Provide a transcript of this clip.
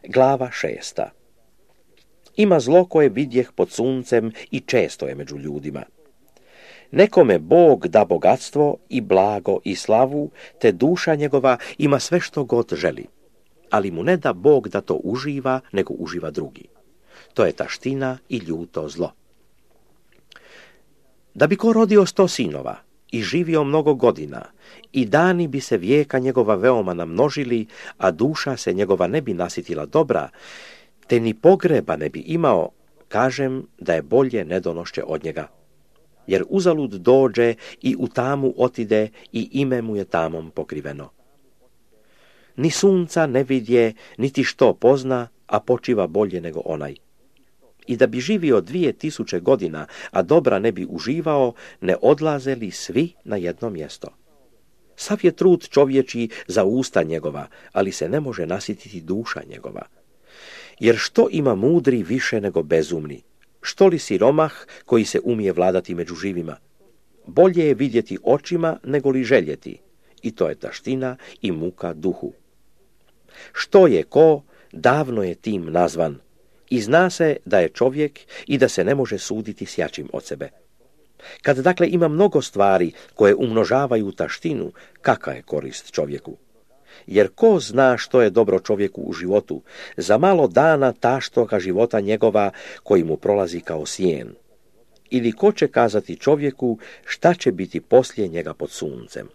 Glava 6. Ima zlo koje vidjeh pod suncem i često je među ljudima. Nekome Bog da bogatstvo i blago i slavu, te duša njegova ima sve što god želi. Ali mu ne da Bog da to uživa, nego uživa drugi. To je taština i ljuto zlo. Da bi ko rodio 100 sinova i živio mnogo godina, i dani bi se vijeka njegova veoma namnožili, a duša se njegova ne bi nasitila dobra, te ni pogreba ne bi imao, kažem da je bolje nedonošće od njega. Jer uzalud dođe i u tamu otide i ime mu je tamom pokriveno. Ni sunca ne vidje, niti što pozna, a počiva bolje nego onaj. I da bi živio 2000 godina, a dobra ne bi uživao, ne odlaze li svi na jedno mjesto? Sav je trud čovječiji za usta njegova, ali se ne može nasititi duša njegova. Jer što ima mudri više nego bezumni? Što li siromah koji se umije vladati među živima? Bolje je vidjeti očima nego li željeti, i to je taština i muka duhu. Što je ko, davno je tim nazvan, i zna se da je čovjek i da se ne može suditi s jačim od sebe. Kad dakle ima mnogo stvari koje umnožavaju taštinu, kakva je korist čovjeku? Jer ko zna što je dobro čovjeku u životu, za malo dana taštoga života njegova koji mu prolazi kao sjen? Ili ko će kazati čovjeku šta će biti poslije njega pod suncem?